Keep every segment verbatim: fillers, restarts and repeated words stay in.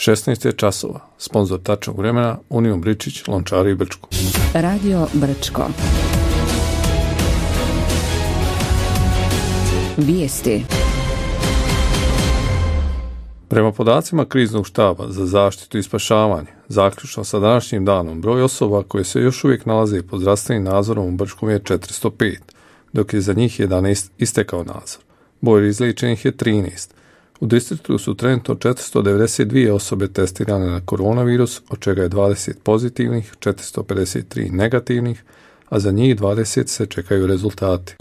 šesnaest je časova. Sponzor tačnog vremena Union Bričić, Lončari i Brčko. Radio Brčko. Vijesti. Prema podacima kriznog štaba za zaštitu i spašavanje, zaključno sa današnjim danom, broj osoba koje se još uvijek nalaze pod zdravstvenim nadzorom u Brčkom je četiristo pet, dok je za njih jedanaest istekao nadzor. Broj izliječenih je trinaest. U distriktu su trenutno četiristo devedeset dvije osobe testirane na koronavirus, od čega je dvadeset pozitivnih, četiristo pedeset tri negativnih, a za njih dvadeset se čekaju rezultati.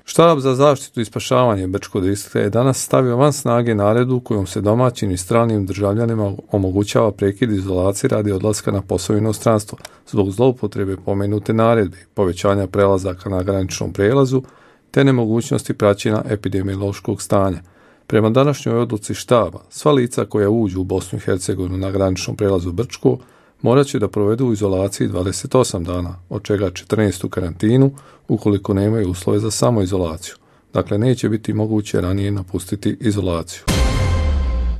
Štab za zaštitu i spašavanje Brčkog distrikta je danas stavio van snage naredbu kojom se domaćim i stranim državljanima omogućava prekid izolacije radi odlaska na posao u inostranstvo zbog zloupotrebe pomenute naredbe, povećanja prelazaka na graničnom prelazu te nemogućnosti praćenja epidemiološkog stanja. Prema današnjoj odluci štaba, sva lica koja uđu u Bosnu i Hercegovinu na graničnom prelazu Brčko morat će da provedu u izolaciji dvadeset osam dana, od čega četrnaest u karantinu, ukoliko nemaju uslove za samoizolaciju. Dakle, neće biti moguće ranije napustiti izolaciju.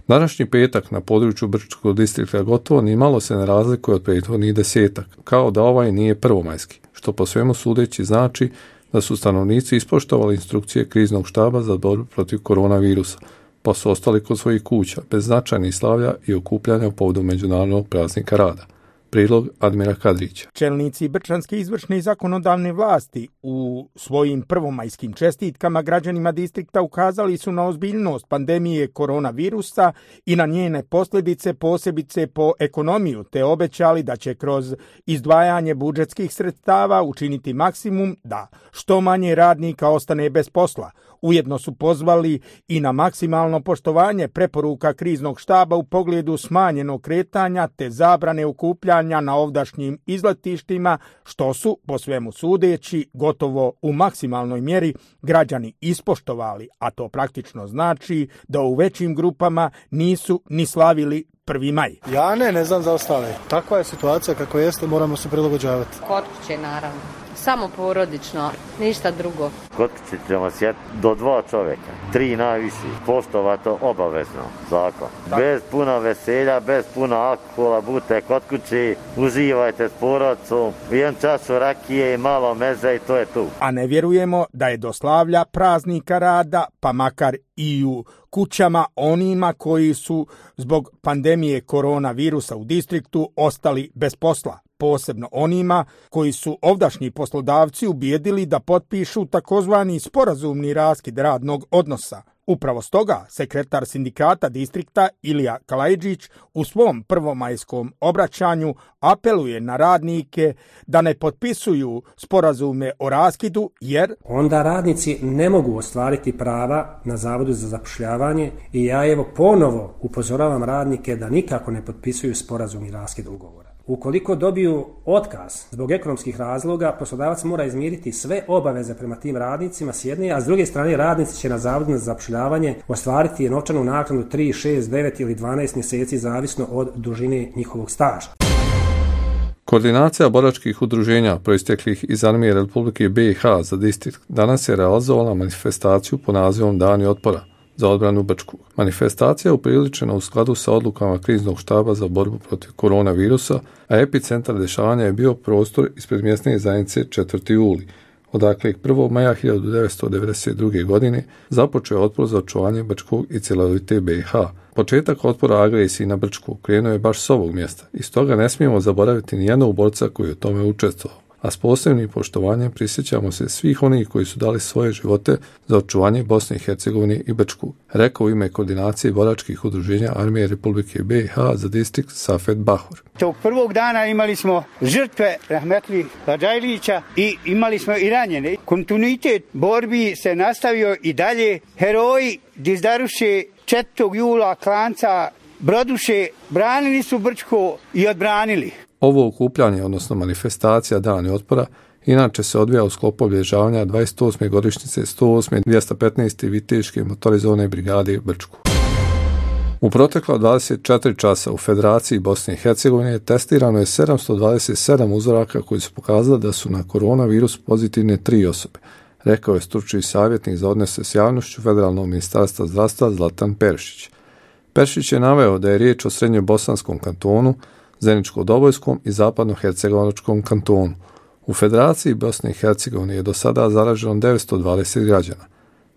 Današnji petak na području Brčkog distrikta gotovo ni malo se ne razlikuje od prethodnih desetak, kao da ovaj nije prvomajski, što po svemu sudeći znači da su stanovnici ispoštovali instrukcije kriznog štaba za borbu protiv koronavirusa, pa su ostali kod svojih kuća, bez značajnih slavlja i okupljanja u povodu Međunarodnog praznika rada. Prilog Admira Kadrića. Čelnici brčanske izvršne i zakonodavne vlasti u svojim prvomajskim čestitkama građanima distrikta ukazali su na ozbiljnost pandemije koronavirusa i na njene posljedice, posebice po ekonomiju, te obećali da će kroz izdvajanje budžetskih sredstava učiniti maksimum da što manje radnika ostane bez posla. Ujedno su pozvali i na maksimalno poštovanje preporuka kriznog štaba u pogledu smanjenog kretanja te zabrane okupljanja na ovdašnjim izletištima, što su, po svemu sudeći, gotovo u maksimalnoj mjeri građani ispoštovali, a to praktično znači da u većim grupama nisu ni slavili prvi maj. Ja ne, ne znam za ostale. Takva je situacija kako jeste, moramo se prilagođavati. Kod kuće, naravno. Samo porodično, ništa drugo. Kod kuće ćemo sjeti do dva čovjeka, tri najviši, poštovati obavezno zakon. Bez puna veselja, bez puna alkohola, budite kod kuće, uživajte s porodicom, jedan čašu rakije i malo meze i to je tu. A ne vjerujemo da je do slavlja praznika rada, pa makar i u kućama onima koji su zbog pandemije koronavirusa u distriktu ostali bez posla. Posebno onima koji su ovdašnji poslodavci ubijedili da potpišu takozvani sporazumni raskid radnog odnosa. Upravo stoga sekretar sindikata distrikta Ilija Kalajđić u svom prvomajskom obraćanju apeluje na radnike da ne potpisuju sporazume o raskidu jer onda radnici ne mogu ostvariti prava na Zavodu za zapošljavanje i ja evo ponovo upozoravam radnike da nikako ne potpisuju sporazumni raskid ugovora. Ukoliko dobiju otkaz zbog ekonomskih razloga, poslodavac mora izmiriti sve obaveze prema tim radnicima s jedne, a s druge strane radnici će na Zavodu za zapošljavanje ostvariti novčanu naknadu tri, šest, devet ili dvanaest mjeseci zavisno od dužine njihovog staža. Koordinacija boračkih udruženja proisteklih iz Armije Republike B i H za distrikt danas je realizovala manifestaciju po nazivom Dani otpora za odbranu Brčkog. Manifestacija je upriličena u skladu sa odlukama kriznog štaba za borbu protiv koronavirusa, a epicentar dešavanja je bio prostor ispred mjesne zajednice četvrti juli, odakle prvog maja hiljadu devetsto devedeset druge. godine započeo je otpor za očuvanje Brčkog i cjelovite B i H. Početak otpora agresiji na Brčkog krenuo je baš s ovog mjesta i stoga ne smijemo zaboraviti ni jednog borca koji je u tome učestvovao. A s posebnim poštovanjem prisjećamo se svih onih koji su dali svoje živote za očuvanje Bosne i Hercegovine i Brčkog, rekao u ime koordinacije boračkih udruženja Armije Republike B i H za distrikt Safet Bahur. Tog prvog dana imali smo žrtve Rahmetli Hadžajlića i imali smo i ranjene. Kontinuitet borbi se nastavio i dalje. Heroji dizdaruše četvrtog jula Klanca Broduše branili su Brčko i odbranili. Ovo okupljanje, odnosno manifestacija Dani otpora, inače se odvija u sklopu obilježavanja dvadeset osme godišnjice sto osme dvjesto petnaeste viteške motorizovane brigade Brčku. U protekla dvadeset četiri časa u Federaciji Bosne i Hercegovine testirano je sedamsto dvadeset sedam uzoraka koji su pokazali da su na koronavirus pozitivne tri osobe, rekao je stručni savjetnik za odnose s javnošću Federalnog ministarstva zdravstva Zlatan Perišić. Peršić je naveo da je riječ o srednjobosanskom kantonu, Zeničko-Dobojskom i Zapadno-Hercegovačkom kantonu. U Federaciji Bosne i Hercegovine je do sada zaraženo devetsto dvadeset građana.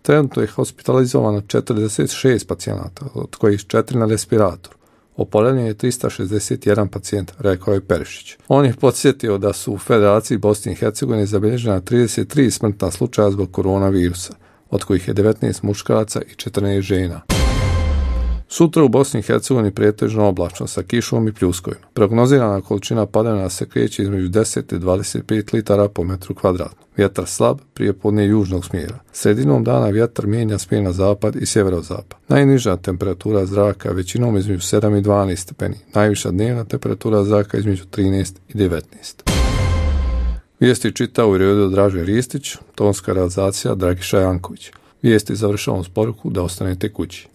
Trenutno je hospitalizovano četrdeset šest pacijenata, od kojih četiri na respiratoru. Oporavljen je tristo šezdeset jedan pacijent, rekao je Peršić. On je podsjetio da su u Federaciji Bosne i Hercegovine zabilježena trideset tri smrtna slučaja zbog koronavirusa, od kojih je devetnaest muškaraca i četrnaest žena. Sutra u Bosni i Hercegovini pretežno oblačno sa kišom i pljuskovima. Prognozirana količina padavina se kreće između deset i dvadeset pet litara po metru kvadratnom. Vjetar slab, prijepodne južnog smjera. Sredinom dana vjetar mijenja smjer na zapad i sjeverozapad. Najniža temperatura zraka većinom između sedam i dvanaest stepeni. Najviša dnevna temperatura zraka između trinaest i devetnaest. Vijesti čitao u redu Draže Ristić, tonska realizacija Dragiša Janković. Vijesti završavamo s poruku da ostanete kući.